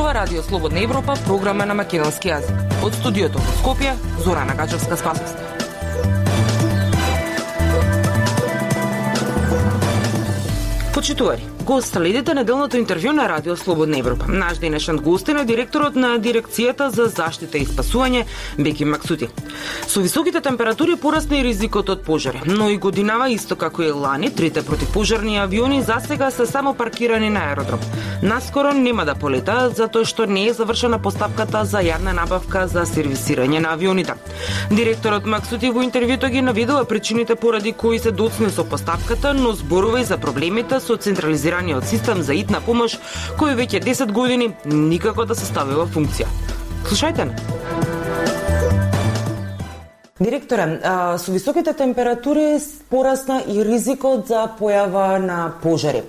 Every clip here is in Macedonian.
зборува Радио Слободна Европа, програма на македонски јазик. Од студиото во Скопје, Зорана Гачевска-Спасовска. Почитувари, го следите неделното интервју на Радио Слободна Европа. Наш денешен гостин е директорот на Дирекцијата за заштита и спасување Беки Максути. Со високите температури порасна и ризикот од пожари, но и годинава исто како и лани, трите противпожарни авиони засега се само паркирани на аеродром. Наскоро нема да полетаат затоа што не е завршена постапката за јавна набавка за сервисирање на авионите. Директорот Максути во интервјуто ги наведува причините поради кои се доцне со постапката, но зборува и за проблемите со централизираниот систем за итна помош, кој веќе 10 години никако да се стави во функција. Слушајте не. Директоре, со високите температури порасна и ризикот за појава на пожари.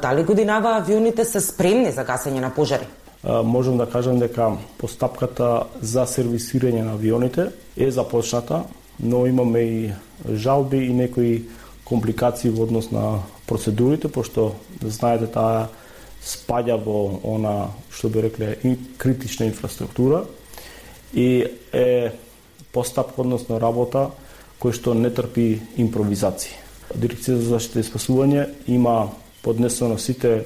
Дали годинава авионите се спремни за гасење на пожари? Можем да кажем дека постапката за сервисирање на авионите е започната, но имаме и жалби и некои компликации во однос на процедурите, пошто знаете таа спаѓа во она што би рекле и критична инфраструктура и е постапка, односно работа кој што не трпи импровизации. Дирекцијата за заштита и спасување има поднесено сите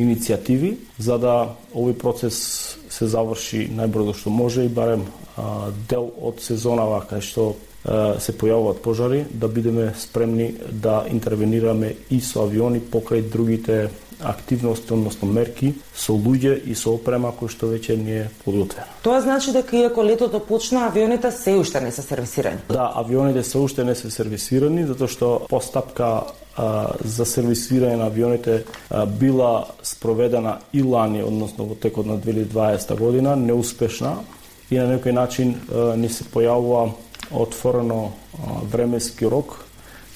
иницијативи за да овој процес се заврши најбрзо што може и барем дел од сезонава кај што се појавуваат пожари, да бидеме спремни да интервенираме и со авиони покрај другите активности, односно мерки, со луѓе и со опрема кој што веќе не е подготвена. Тоа значи дека иако летото почна, авионите се уште не се сервисирани? Да, авионите се уште не се сервисирани, затоа што постапка за сервисирање на авионите била спроведена и лани, односно во текот на 2020 година, неуспешна и на некој начин не се појавува отворено временски рок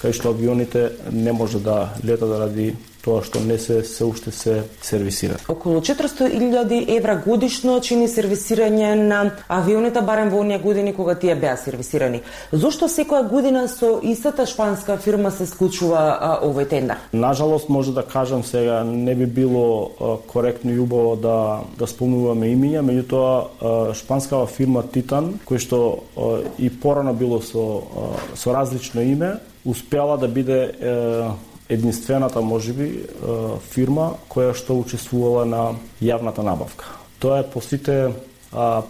кај што авионите не може да летат ради тоа што не се уште се сервисира. Околу 400.000 евра годишно чини сервисирање на авионите барем во оние години кога тие беа сервисирани. Зошто секоја година со истата шпанска фирма се склучува овој тендер? Нажалост може да кажам сега не би било коректно и убаво да спомнуваме имиња, меѓутоа шпанскава фирма Титан, кој што и порано било со различно име, успела да биде единствената, можеби, фирма која што учествувала на јавната набавка. Тоа е по сите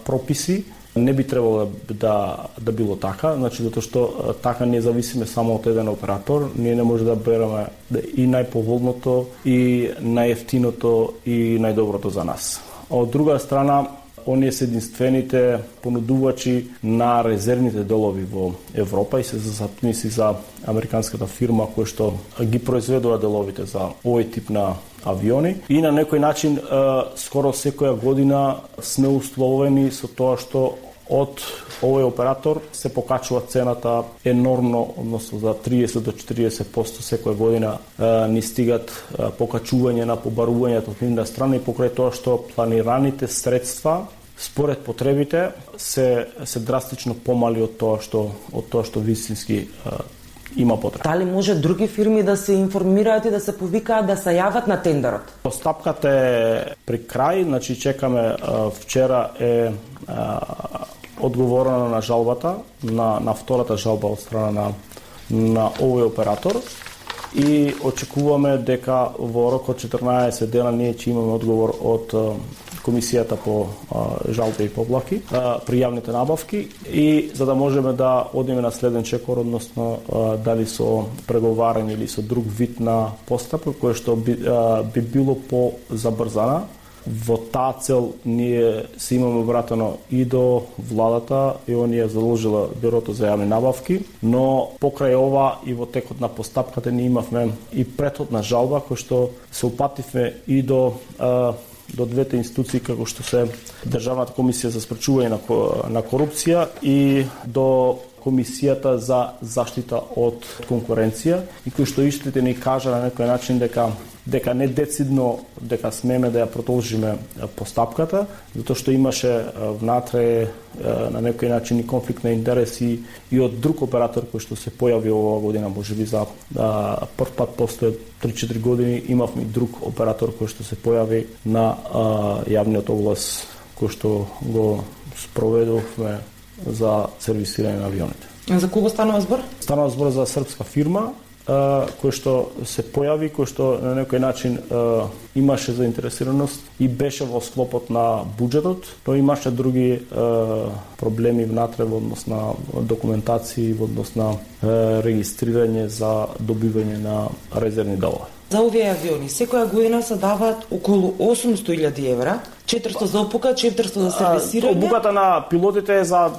прописи, не би требало да било така, значи затоа што така не зависиме само од еден оператор, ние не може да береме и најповолното, и најевтиното, и најдоброто за нас. Од друга страна, оние се единствените понудувачи на резервните делови во Европа и се застапници за американската фирма која што ги произведува деловите за овој тип на авиони. И на некој начин скоро секоја година сме условени со тоа што од овој оператор се покачува цената енормно, односно за 30 до 40% секоја година ни стигат покачување на побарувањето од нивна страна и покрај тоа што планираните средства според потребите се драстично помали од тоа што вистински има потреба. Дали може други фирми да се информираат и да се повикаат да се јават на тендерот? Постапката е при крај, значи чекаме вчера е одговорено на жалбата, на втората жалба од страна на овој оператор и очекуваме дека во рок од 14 дена ние ќе имаме одговор од Комисијата по жалби и поплаки при јавните набавки и за да можеме да одиме на следен чекор, односно дали со преговарање или со друг вид на постапка кој што би било по-забрзана. Во таа цел ние се имаме обратено и до владата и оние задолжила Бюрото за јавни набавки, но покрај ова и во текот на постапката ние имавме и претходна жалба кој што се упативме и до двете институции како што се Државната комисија за спречување на корупција и до Комисијата за заштита од конкуренција и кој што истите ни кажа на некој начин дека дека не децидно дека смеме да ја продолжиме постапката, затоа што имаше внатре на некој начин и конфликт на интереси и од друг оператор кој што се појави оваа година, можеби за прв пат после 3-4 години имавме друг оператор кој што се појави на јавниот оглас кој што го спроведовме за сервисирање на авионите. За кого станува збор? Станува збор за српска фирма кој што се појави, кој што на некој начин имаше заинтересираност и беше во склопот на буџетот, но имаше други проблеми внатре во однос на документации, во однос на регистрирање за добивање на резервни делови. За овие авиони секоја година се даваат околу 800.000 евра, 400 за опука, 400 за сервисирање. Обуката на пилотите е за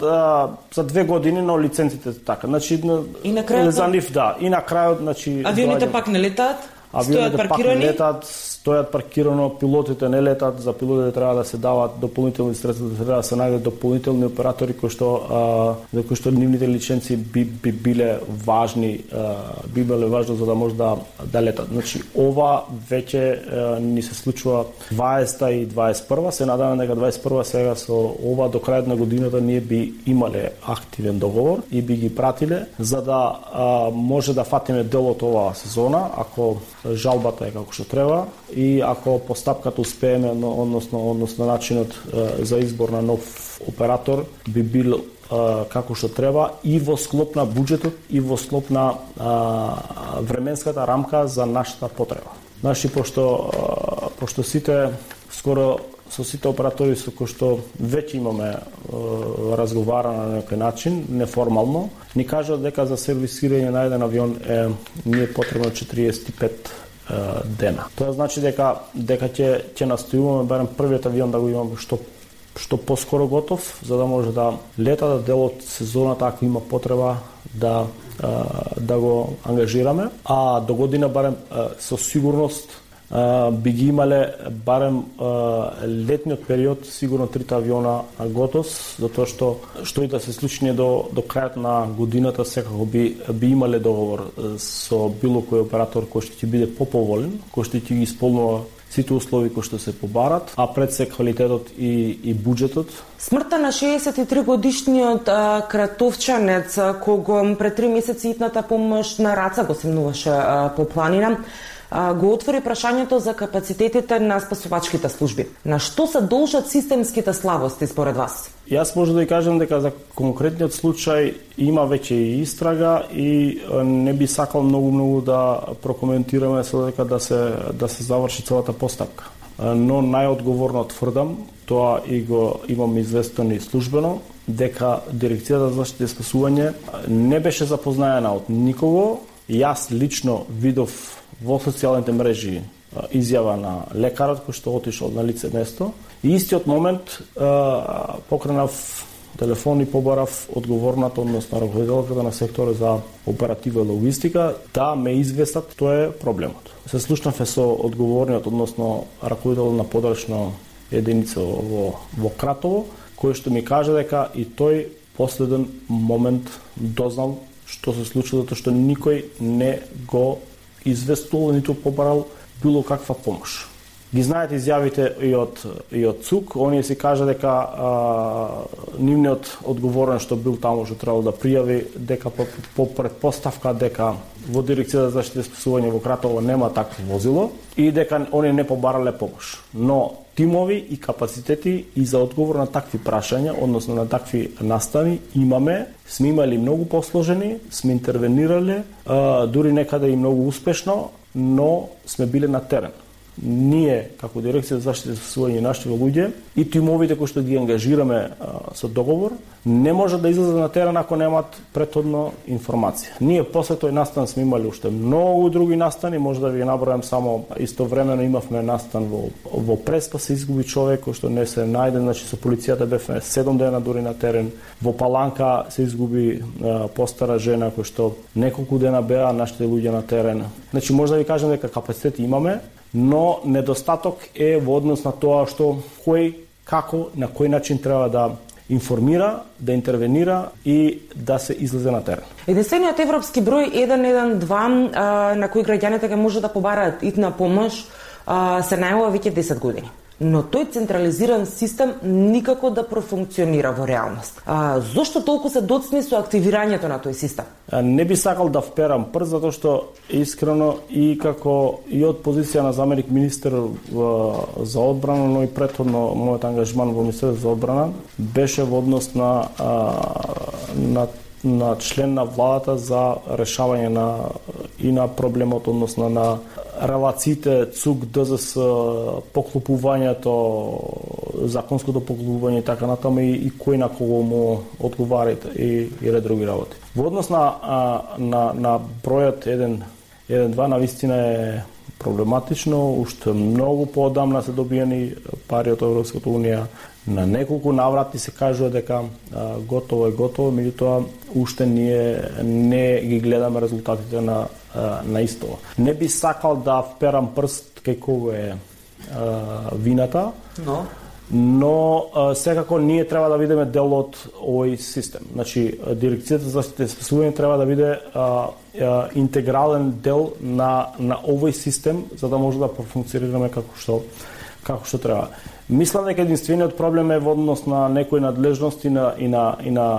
2 години, но лиценците така. Значи и на крајот за нив и на крајот, значи авионите пак не летаат. Авионите пак не летаат, стојат паркирано, пилотите не летат, за пилотите треба да се дават дополнителни средства, треба да се најдат дополнителни оператори кои што нивните лиценци би биле важни, би биле важно за да може да летат. Значи ова веќе ни се случува 20 и 21, се надевам дека 21 сега со ова до крајот на годината ние би имале активен договор и би ги пратиле за да може да фатиме дел од оваа сезона, ако жалбата е како што треба и ако постапката успееме, односно начинот за избор на нов оператор би бил како што треба и во склоп на буџетот и во склоп на временската рамка за нашата потреба. Значи, пошто сите, скоро со сите оператори со кои што веќе имаме разговарано на некој начин, неформално, ни кажат дека за сервисирање на еден авион ни е потребно 45 дена. Тоа значи дека ќе настојуваме барем првиот авион да го имаме што поскоро готов, за да може да лета да дел од сезоната ако има потреба да го ангажираме, а до година барем со сигурност би ги имале барем летниот период сигурно 3 авиона готов, затоа што и да се случи до крајот на годината секако би имале договор со било кој оператор кој што ќе биде поповолен, кој што ќе ги исполнува сите услови кои што се побарат, а пред се квалитетот и буџетот. Смртта на 63 годишниот кратовчанец кого пред 3 месеци итната помош на раца го семнуваше по планина, го отвори прашањето за капацитетите на спасувачките служби. На што се должат системските слабости според вас? Јас може да ја кажам дека за конкретниот случај има веќе и истрага и не би сакал многу да прокоментираме со дека да се заврши целата постапка. Но најодговорно тврдам, тоа и го имам известено и службено, дека Дирекцијата за заштита и спасување не беше запознаена од никого. Јас лично видов во социјалните мрежи изјава на лекарот кој што отишол на лице место и истиот момент покренав телефон и побарав одговорната, односно раководителката на секторот за оператива и логистика да ме известат тоа е проблемот. Се слушнав со одговорниот, односно раководител на подрачна единица во Кратово, кој што ми кажа дека и тој последен момент дознал што се случило, затоа што никој не го известувал, ниту побарал било каква помош. Ги знаете изјавите и од ЦУК, оние си кажа дека нивниот одговорен што бил таму што требало да пријави дека по предпоставка дека во Дирекцијата за заштита и спасување во Кратово нема такво возило и дека оние не побарале помош. Но тимови и капацитети и за одговор на такви прашања, односно на такви настани имаме, сме имали многу посложени, сме интервенирале, дури некаде и многу успешно, но сме биле на терен. Ние, како Дирекција за заштита и спасување нашите луѓе и тимовите кои што ги ангажираме со договор, не може да излезат на терен ако немаат претходно информација. Ние после тој настан сме имали уште многу други настани, може да ви набројам само истовремено имавме настан во Преспа се изгуби човек кој што не се најден, значи со полицијата бевме 7 дена дури на терен. Во Паланка се изгуби постара жена кој што неколку дена беа нашите луѓе на терен. Значи може да ви кажам дека капацитет имаме, но недостаток е во однос на тоа што кој, како, на кој начин треба да информира, да интервенира и да се излезе на терен. Единствениот европски број 112 на кој граѓаните ќе може да побараат итна помош се најавува веќе 10 години. Но тој централизиран систем никако да профункционира во реалност. Зошто толку се доцни со активирањето на тој систем? Не би сакал да вперам прст, затоа што искрено и како и од позиција на заменик министер за одбрана, но и претходно мојот ангажман во Министерството за одбрана беше во однос на член на владата за решавање на проблемот, односно на релациите ЦУК, ДЗС, поклопувањето, законското поклопување и така натаму и кој на кого му одговараат и ред други работи. Во однос на бројот 1-2 навистина е проблематично, уште многу поодамна се добиени пари од Европската унија. На неколку наврати се кажува дека готово, меѓутоа уште ние не ги гледаме резултатите на исто. Не би сакал да вперам прст кај кого е вината, но секако ние треба да бидеме дел од овој систем. Значи, Дирекцијата за заштита и спасување треба да биде интегрален дел на овој систем, за да може да профункционираме како што треба. Мислам дека единствениот проблем е во однос на некои надлежности и на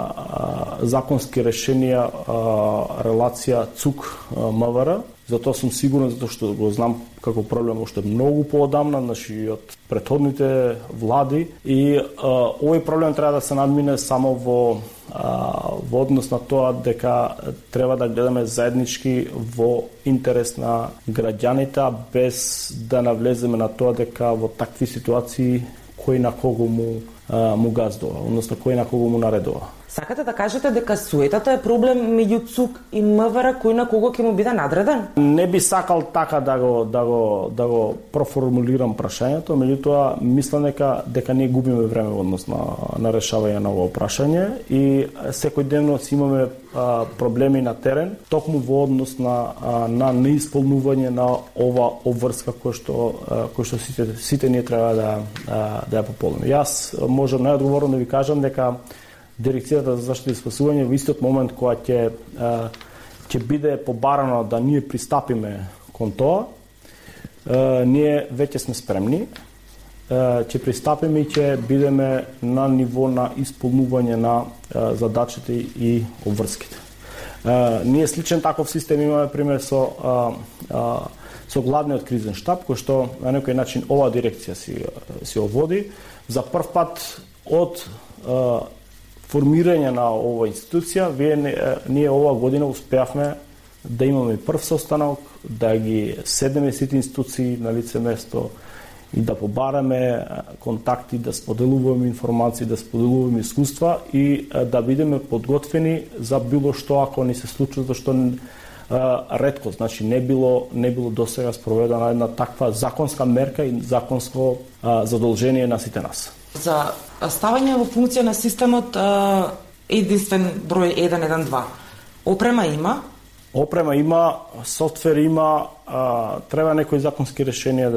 законски решенија, релација ЦУК-МВР. Затоа сум сигурен, затоа што го знам како проблем уште многу поодамна, значи од претходните влади, и овој проблем треба да се надмине само во однос на тоа дека треба да гледаме заеднички во интерес на граѓаните, без да навлеземе на тоа дека во такви ситуации кој на кого му газдува, односно кој на кого му наредува. Сакате да кажете дека суетата е проблем меѓу ЦУК и МВР, кој на кого ќе му биде надреден? Не би сакал така да го проформулирам прашањето, меѓутоа мислам дека ние губиме време во однос на решавање на ова прашање и секојдневно си имаме проблеми на терен, токму во однос на неисполнување на ова обврска кој што сите ние треба да ја пополниме. Јас можам најодговорно да ви кажам дека Дирекцијата за заштита и спасување во истиот момент кога ќе биде побарано да ние пристапиме кон тоа, ние веќе сме спремни, ќе пристапиме и ќе бидеме на ниво на исполнување на задачите и обврските. Ние сличен таков систем имаме пример со главниот кризен штаб, кој што на некој начин оваа дирекција си оводи. За прв пат од формирање на оваа институција, ние оваа година успеавме да имаме прв состанок, да ги седнеме сите институции на лице место и да побараме контакти, да споделуваме информации, да споделуваме искуства и да бидеме подготвени за било што ако ни се случи, зашто ретко, значи не било досега спроведена една таква законска мерка и законско задолжение на сите нас. За ставање во функција на системот единствен број 112. Опрема има? Опрема има, софтвер има, треба некои законски решенија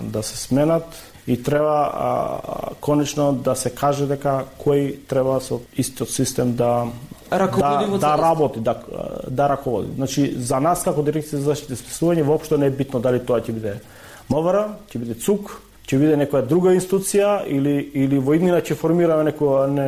да се сменат и треба конечно да се каже дека кој треба со истиот систем да работи, да раководи. Значи, за нас како Дирекција за заштита и спасување воопшто не е битно дали тоа ќе биде МВР, ќе биде ЦУК, ќе биде некоја друга институција или во иднина ќе формираме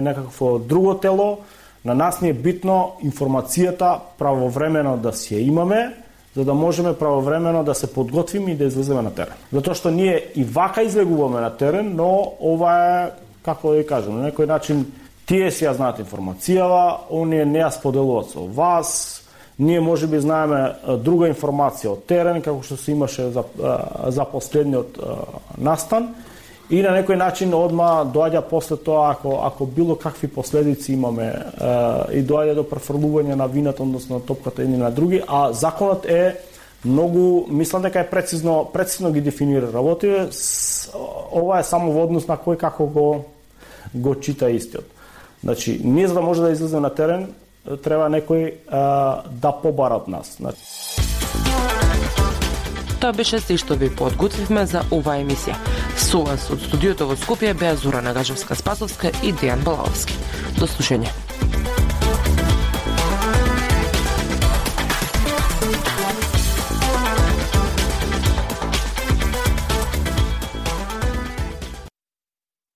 некакво друго тело. На нас ни е битно информацијата правовремено да си ја имаме, за да можеме правовремено да се подготвиме и да излеземе на терен. Затоа што ние и вака излегуваме на терен, но ова е, како да ви кажам, на некој начин тие си ја знаат информацијава, оние не ја споделуваат со вас, ние можеби знаеме друга информација од терен, како што се имаше за последниот настан, и на некој начин одма доаѓа после тоа, ако било какви последици имаме и доаѓа до префрлување на вината, односно на топката едни на други, а законот е многу, мислам дека е прецизно ги дефинира работите, ова е само во однос на кој како го чита истиот. Значи, ние за да може да излеземе на терен, треба некој да побара од нас. Тоа беше се што ви подготвивме за оваа емисија. Со вас од студиото во Скопје беа Зора Нагажевска-Спасовска и Дејан Балаовски. До слушање.